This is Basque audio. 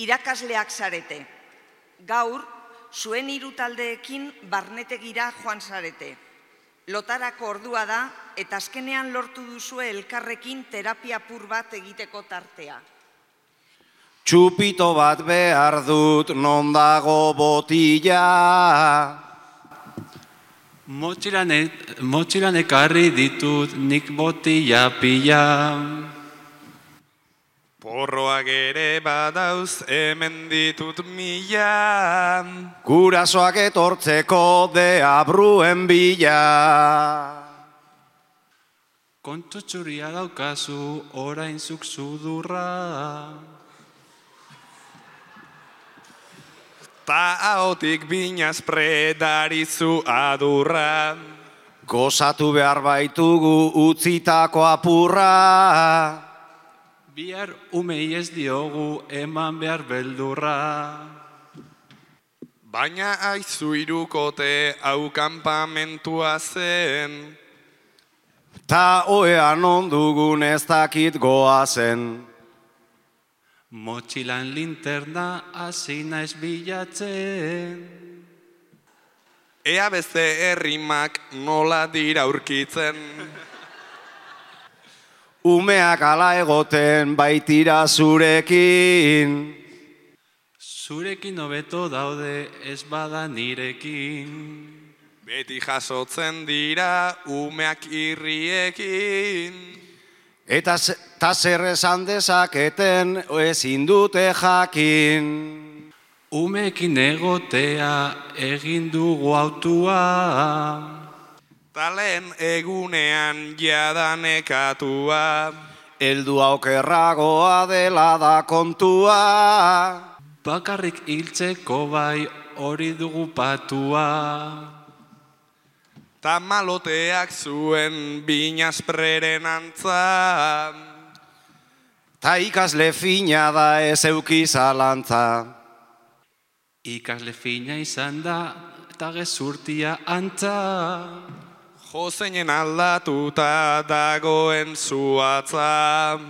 Irakasleak zarete. Gaur, zuen hiru taldeekin barnetegira joan zarete. Lotarako ordua da eta azkenean lortu duzue elkarrekin terapia apur bat egiteko tartea. Txupito bat behar dut, non dago botila. Motxilan ekarri ditut nik botila pila. Porroak ere badauz hemen ditut mila. Gurasoak etortzeko deabruen bila. Kontu txuria daukazu orain zuk sudurra. Ta ahotik binaz predarizu adurra. Gozatu behar baitugu utzitako apurra. Bihar umei ez diogu eman behar beldurra. Baina aizu irukote hau kanpamentua zen. Ta oean ondugun ez dakit goazen. Motxilan linterna hasi naiz bilatzen. Ea beste herrimak nola dira aurkitzen. Umeak ala egoten baitira zurekin. Zurekin hobeto daude ez bada nirekin. Beti jasotzen dira umeak irriekin. Eta zer esan dezaketen ezin dute jakin. Umeekin egotea egin dugu autua. Talen egunean jadanekatua. Heldu aukerragoa dela da kontua. Bakarrik hiltzeko bai hori dugu patua. Ta maloteak zuen binazpreren antza. Ta ikasle fina da ez euki zalantza. Ikasle fina izan da eta gezurtia antza. Jo zeinen aldatuta dagoen zuatza.